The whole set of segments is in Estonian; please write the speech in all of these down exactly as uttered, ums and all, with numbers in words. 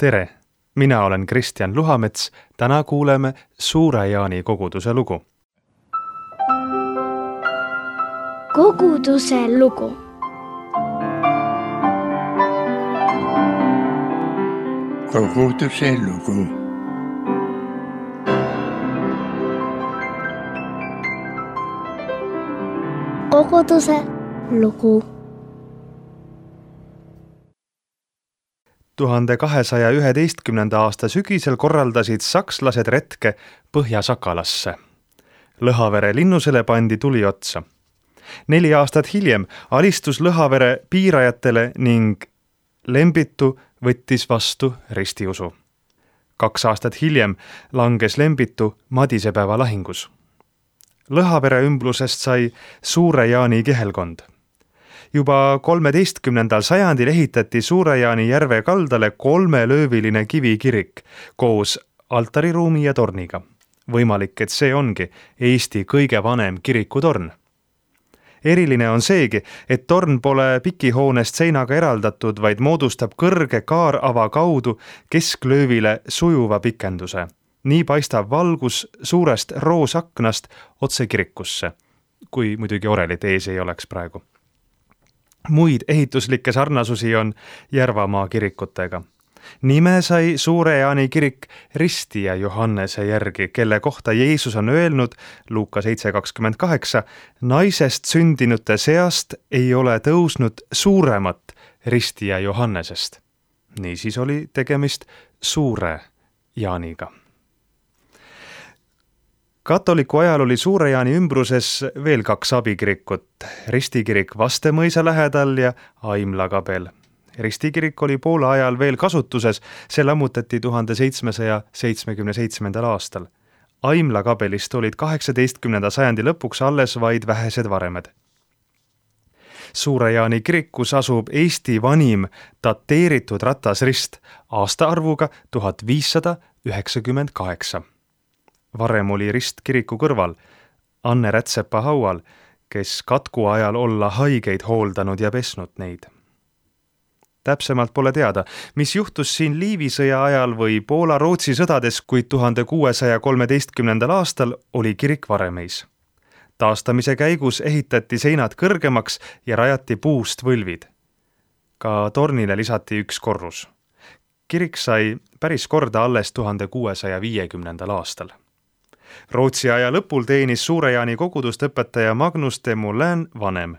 Tere! Mina olen Kristjan Luhamets. Täna kuuleme Suure Jaani koguduse lugu. Koguduse lugu. Koguduse lugu. Koguduse lugu. tuhande kahesaja üheteistkümnenda aasta sügisel korraldasid sakslased retke Põhja-Sakalasse. Lõhavere linnusele pandi tuli otsa. Neli aastat hiljem alistus Lõhavere piirajatele ning Lembitu võttis vastu ristiusu. Kaks aastat hiljem langes Lembitu Madisepäeva lahingus. Lõhavere ümblusest sai Suure Jaani kihelkond. Juba kolmeteistkümnendal sajandil ehitati Suure Jaani järve kaldale kolmelööviline kivikirik koos altariruumi ja torniga. Võimalik, et see ongi Eesti kõige vanem kirikutorn. Eriline on seegi, et torn pole pikihoonest seinaga eraldatud, vaid moodustab kõrge kaarava kaudu kesklöövile sujuva pikenduse. Nii paistab valgus suurest roosaknast otse kirikusse, kui muidugi orelit ees ei oleks praegu. Muid ehituslikke sarnasusi on Järvamaa kirikutega. Nime sai Suure Jaani kirik Ristija Johannese järgi, kelle kohta Jeesus on öelnud Luuka seitse kakskümmend kaheksa, naisest sündinute seast ei ole tõusnud suuremat Ristija Johannesest. Niisiis oli tegemist Suure Jaaniga. Katoliku ajal oli Suure Jaani ümbruses veel kaks abikirikut, ristikirik Vastemõisa lähedal ja Aimla kabel. Ristikirik oli Poola ajal veel kasutuses, see lammutati tuhande seitsmesaja seitsmekümne seitsmendal aastal. Aimla kabelist olid kaheksateistkümnenda sajandi lõpuks alles vaid vähesed varemed. Suure Jaani kirikus asub Eesti vanim dateeritud ratasrist aastaarvuga tuhat viissada üheksakümmend kaheksa. Varem oli rist kiriku kõrval, Anne Rätsepa haual, kes katku ajal olla haigeid hooldanud ja pesnud neid. Täpsemalt pole teada, mis juhtus siin Liivisõja ajal või Poola-Rootsi sõdades, kuid tuhande kuuesaja kolmeteistkümnendal aastal oli kirik varemeis. Taastamise käigus ehitati seinad kõrgemaks ja rajati puust võlvid. Ka tornile lisati üks korrus. Kirik sai päris korda alles tuhande kuuesaja viiekümnendal aastal. Rootsi aja lõpul teenis Suure Jaani kogudust õpetaja Magnus de Moulin vanem.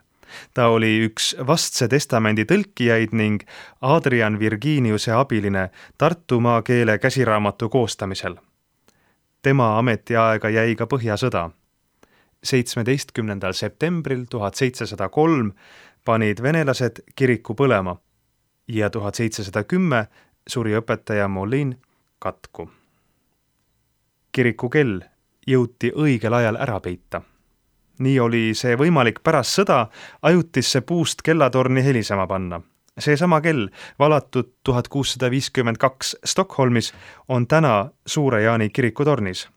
Ta oli üks Vastse testamendi tõlkijaid ning Adrian Virginiuse abiline Tartumaa keele käsiraamatu koostamisel. Tema ametiaega jäi ka Põhjasõda. seitsmeteistkümnendal septembril tuhat seitsesada kolm panid venelased kiriku põlema ja tuhat seitsesada kümme suri õpetaja Moulin katku. Kiriku kell jõuti õigel ajal ära peita. Nii oli see võimalik pärast sõda ajutisse puust kellatorni helisema panna. Seesama kell, valatud tuhat kuussada viiskümmend kaks Stockholmis, on täna Suure Jaani kirikutornis.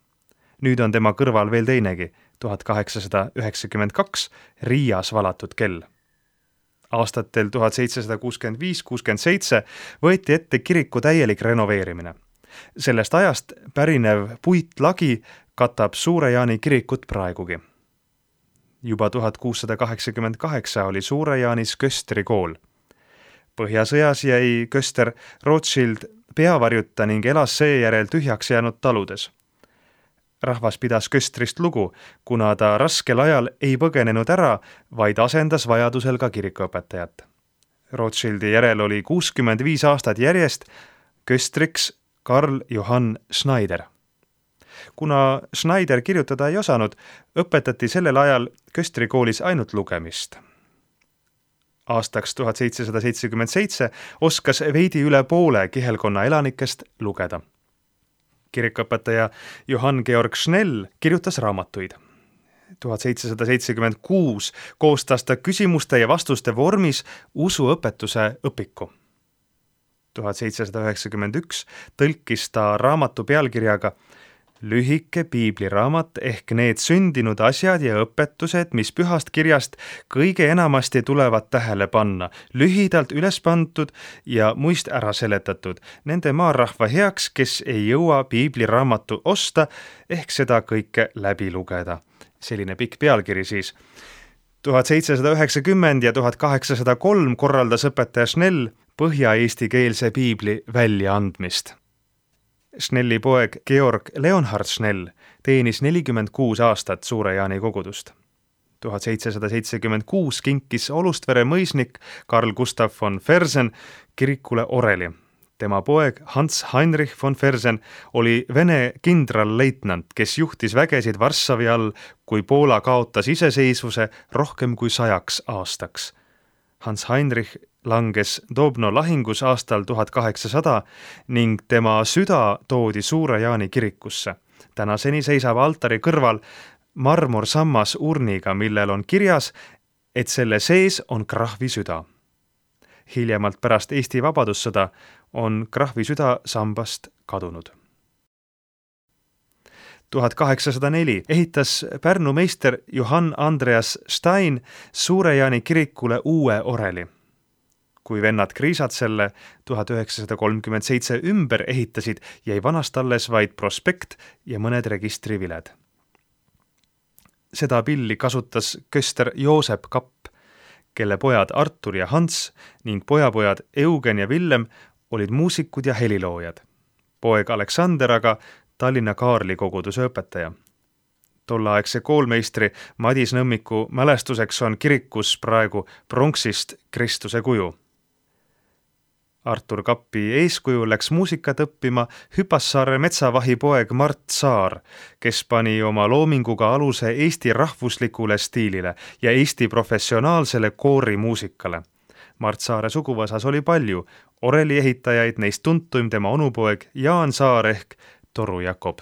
Nüüd on tema kõrval veel teinegi, tuhat kaheksasada üheksakümmend kaks Riias valatud kell. Aastatel tuhat seitsesada kuuskümmend viis kuuskümmend seitse võeti ette kiriku täielik renoveerimine. Sellest ajast pärinev puitlagi katab Suure Jaani kirikut praegugi. Juba tuhat kuussada kaheksakümmend kaheksa oli Suure Jaanis Köstri kool. Põhjasõjas jäi Köster Rothschild peavarjuta ning elas seejärel tühjaks jäänud taludes. Rahvas pidas Köstrist lugu, kuna ta raskel ajal ei põgenenud ära, vaid asendas vajadusel ka kirikuõpetajat. Rothschildi järel oli kuuskümmend viis aastat järjest Köstriks Karl Johann Schneider. Kuna Schneider kirjutada ei osanud, õpetati sellel ajal Köstri koolis ainult lugemist. Aastaks tuhat seitsesada seitsekümmend seitse oskas veidi üle poole kihelkonna elanikest lugeda. Kirikuõpetaja Johann Georg Schnell kirjutas raamatuid. tuhat seitsesada seitsekümmend kuus koostas ta küsimuste ja vastuste vormis usuõpetuse õpiku. tuhat seitsesada üheksakümmend üks tõlkis ta raamatu pealkirjaga lühike piibliraamat ehk need sündinud asjad ja õpetused, mis pühast kirjast kõige enamasti tulevad tähele panna, lühidalt üles pandud ja muist ära seletatud, nende maarahva heaks, kes ei jõua piibliraamatu osta ehk seda kõike läbi lugeda. Selline pikk pealkiri siis. tuhat seitsesada üheksakümmend ja tuhat kaheksasada kolm korraldas õpetaja Schnell põhja-eestikeelse piibli väljaandmist. Schnelli poeg Georg Leonhard Schnell teenis nelikümmend kuus aastat Suure-Jaani kogudust. tuhat seitsesada seitsekümmend kuus kinkis Olustvere mõisnik Karl Gustav von Fersen kirikule oreli. Tema poeg Hans Heinrich von Fersen oli Vene kindralleitnant, kes juhtis vägesid Varssavi all, kui Poola kaotas iseseisvuse rohkem kui sajaks aastaks. Hans Heinrich langes Dobno lahingus aastal tuhat kaheksasada ning tema süda toodi Suure-Jaani kirikusse. Tänaseni seisab altari kõrval marmorsammas urniga, millel on kirjas, et selle sees on krahvi süda. Hiljemalt pärast Eesti vabadussõda on krahvi süda sambast kadunud. tuhat kaheksasada neli ehitas Pärnu meister Johann Andreas Stein Suure-Jaani kirikule uue oreli. Kui vennad Kriisad selle tuhat üheksasada kolmkümmend seitse ümber ehitasid, jäi vanast alles vaid prospekt ja mõned registriviled. Seda pilli kasutas köster Joosep Kapp, kelle pojad Artur ja Hans ning pojapojad Eugen ja Villem olid muusikud ja heliloojad. Poeg Aleksander aga Tallinna Kaarli koguduse õpetaja. Tolleaegse koolmeistri Madis Nõmmiku mälestuseks on kirikus praegu pronksist Kristuse kuju. Artur Kappi eeskuju läks muusikat õppima Hüpassaare metsavahi poeg Mart Saar, kes pani oma loominguga aluse Eesti rahvuslikule stiilile ja Eesti professionaalsele koorimuusikale. Mart Saare suguvõsas oli palju, oreli ehitajaid, neist tuntuim tema onupoeg Jaan Saar ehk Toru Jakob.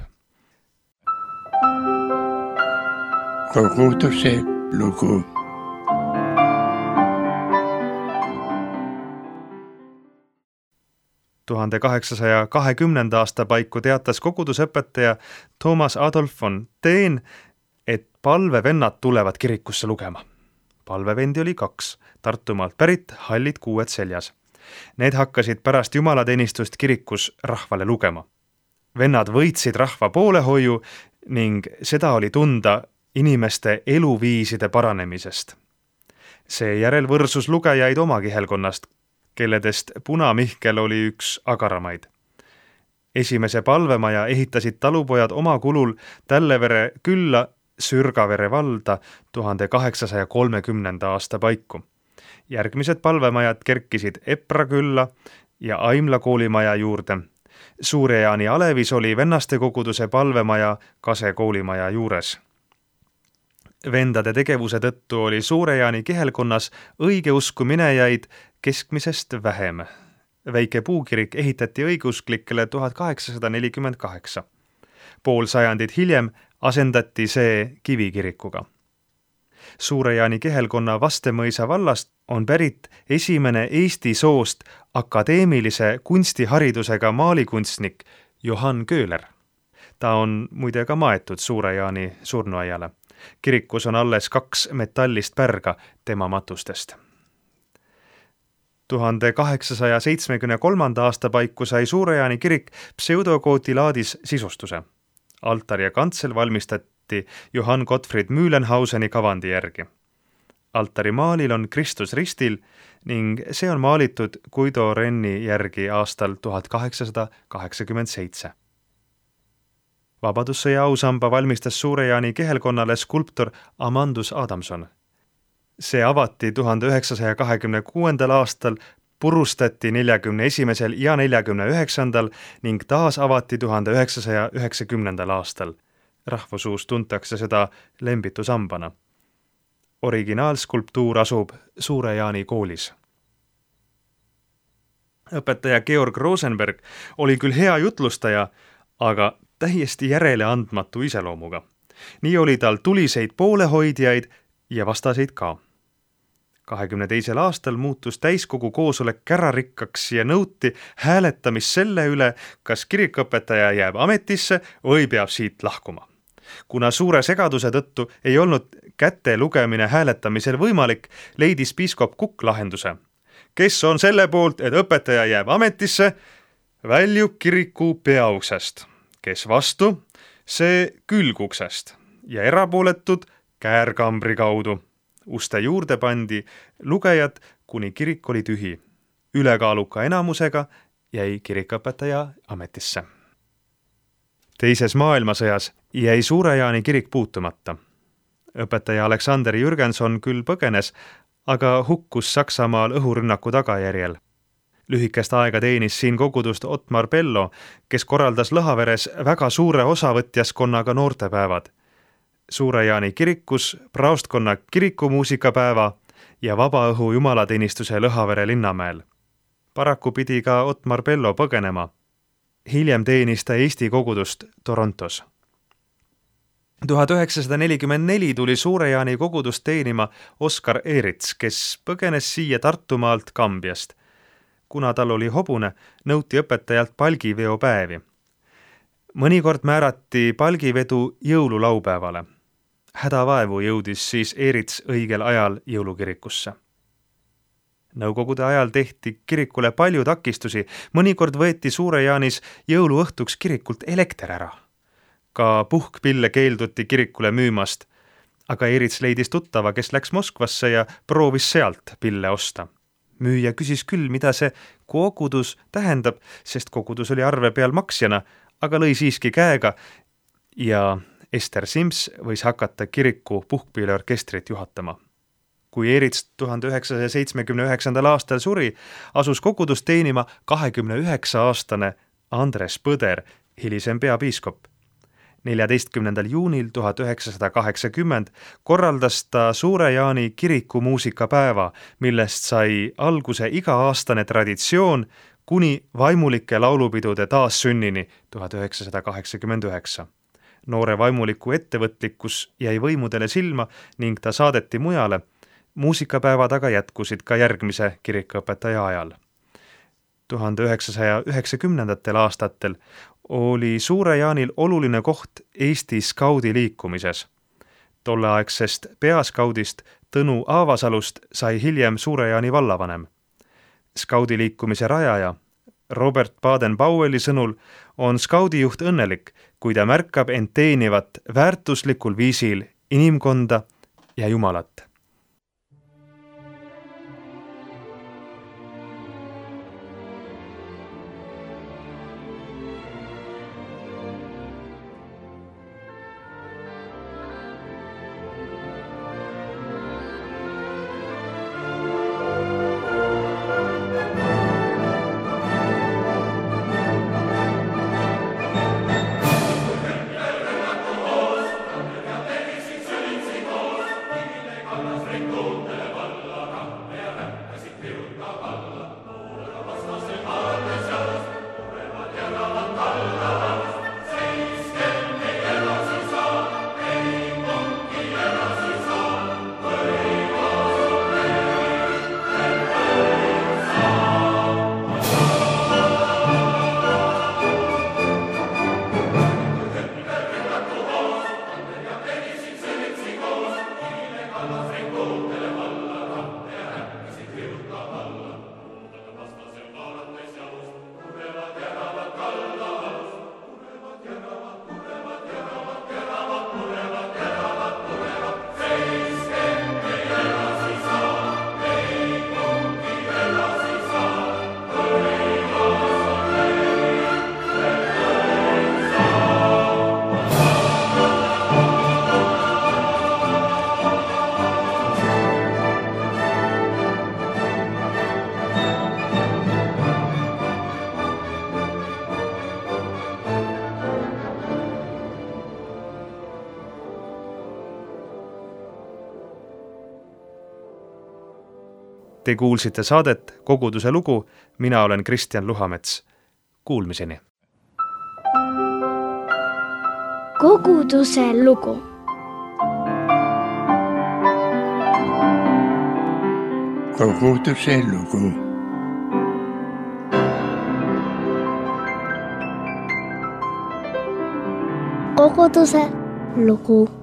Koguduse lugu. tuhande kaheksasaja kahekümnenda aasta paiku teatas kogudusõpetaja Thomas Adolf von Teen, et palvevennad tulevad kirikusse lugema. Palvevendi oli kaks, Tartumaalt pärit, hallid kuued seljas. Need hakkasid pärast jumalateenistust kirikus rahvale lugema. Vennad võitsid rahva poolehoiu ning seda oli tunda inimeste eluviiside paranemisest. Seejärel võrsus lugejaid oma kihelkonnast, kelledest Puna-Mihkel oli üks agaramaid. Esimese palvemaja ehitasid talupojad oma kulul Tällevere külla Sürgavere valda tuhande kaheksasaja kolmekümnenda aasta paiku. Järgmised palvemajad kerkisid Epra külla ja Aimla koolimaja juurde. Suure-Jaani Alevis oli vennaste koguduse palvemaja Kase koolimaja juures. Vendade tegevuse tõttu oli Suure-Jaani kihelkonnas õigeusku minejaid keskmisest vähem. Väike puukirik ehitati õigeusklikele tuhat kaheksasada nelikümmend kaheksa. Pool sajandit hiljem asendati see kivikirikuga. Suure-Jaani kihelkonna Vastemõisa vallast on pärit esimene Eesti soost akadeemilise kunstiharidusega maalikunstnik Johann Köhler. Ta on muide ka maetud Suure-Jaani surnuaiale. Kirikus on alles kaks metallist pärga tema matustest. tuhande kaheksasaja seitsmekümne kolmanda aasta paiku sai Suure-Jaani kirik pseudokootilaadis sisustuse. Altar ja kantsel valmistati Johann Gottfried Mühlenhauseni kavandi järgi. Altari maalil on Kristus ristil ning see on maalitud Guido Renni järgi aastal tuhat kaheksasada kaheksakümmend seitse. Vabadussõja ausamba valmistas Suure-Jaani kihelkonnale skulptor Amandus Adamson. See avati tuhande üheksasaja kahekümne kuuendal aastal, purustati neljakümne esimesel ja neljakümne üheksandal ning taas avati tuhande üheksasaja üheksakümnendal aastal. Rahvusuus tuntakse seda lembitusambana. Originaalskulptuur asub Suure-Jaani koolis. Õpetaja Georg Rosenberg oli küll hea jutlustaja, aga täiesti järele andmatu iseloomuga. Nii oli tal tuliseid poolehoidjaid ja vastaseid ka. kahekümne teisel aastal muutus täiskogu koosolek kärarikkaks ja nõuti hääletamist selle üle, kas kirikuõpetaja jääb ametisse või peab siit lahkuma. Kuna suure segaduse tõttu ei olnud käte lugemine hääletamisel võimalik, leidis piiskop Kukk lahenduse. Kes on selle poolt, et õpetaja jääb ametisse, väljub kiriku peauksest. Kes vastu, see külguksest ja erapooletud käärkambri kaudu. Uste juurde pandi lugejad, kuni kirik oli tühi. Ülekaaluka enamusega jäi kirikuõpetaja ametisse. Teises maailmasõjas jäi Suure-Jaani kirik puutumata. Õpetaja Aleksander Jürgenson küll põgenes, aga hukkus Saksamaal õhurünnaku tagajärjel. Lühikest aega teenis siin kogudust Otmar Bello, kes korraldas Lõhaveres väga suure osavõtjaskonnaga noortepäevad. Suure-Jaani kirikus praostkonna kirikumuusikapäeva ja vabaõhu jumalateenistuse Lõhavere linnamäel. Paraku pidi ka Otmar Bello põgenema. Hiljem teenis ta Eesti kogudust Torontos. tuhat üheksasada nelikümmend neli tuli Suure-Jaani kogudust teenima Oskar Eerits, kes põgenes siia Tartumaalt Kambiast. Kuna tal oli hobune, nõuti õpetajalt palgiveopäevi. Mõnikord määrati palgivedu jõululaupäevale. Hädavaevu jõudis siis Eerits õigel ajal jõulukirikusse. Nõukogude ajal tehti kirikule palju takistusi, mõnikord võeti Suure-Jaanis jõuluõhtuks kirikult elekter ära. Ka puhkpille keelduti kirikule müümast, aga Eerits leidis tuttava, kes läks Moskvasse ja proovis sealt pille osta. Müüja küsis küll, mida see kogudus tähendab, sest kogudus oli arve peal maksjana, aga lõi siiski käega ja Ester Sims võis hakata kiriku puhkpilleorkestrit juhatama. Kui Eerits tuhande üheksasaja seitsmekümne üheksandal aastal suri, asus kogudust teenima kahekümne üheksa aastane Andres Põder, hilisem peapiiskop. neljateistkümnendal juunil tuhat üheksasada kaheksakümmend korraldas ta Suure-Jaani kirikumuusikapäeva, millest sai alguse iga-aastane traditsioon kuni vaimulike laulupidude taassünnini tuhat üheksasada kaheksakümmend üheksa. Noore vaimuliku ettevõtlikkus jäi võimudele silma ning ta saadeti mujale. Muusikapäevad aga jätkusid ka järgmise kirikuõpetaja ajal. tuhande üheksasaja üheksakümnendatel aastatel oli Suure-Jaanil oluline koht Eesti skaudi liikumises. Tolleaegsest peaskaudist Tõnu Aavasalust sai hiljem Suure-Jaani vallavanem. Skaudi liikumise rajaja Robert Baden-Powelli sõnul on skaudijuht õnnelik, kui ta märkab end teenivat väärtuslikul viisil inimkonda ja Jumalat. Te kuulsite saadet Koguduse lugu, mina olen Kristjan Luhamets. Kuulmiseni. Koguduse lugu. koguduse lugu. koguduse lugu.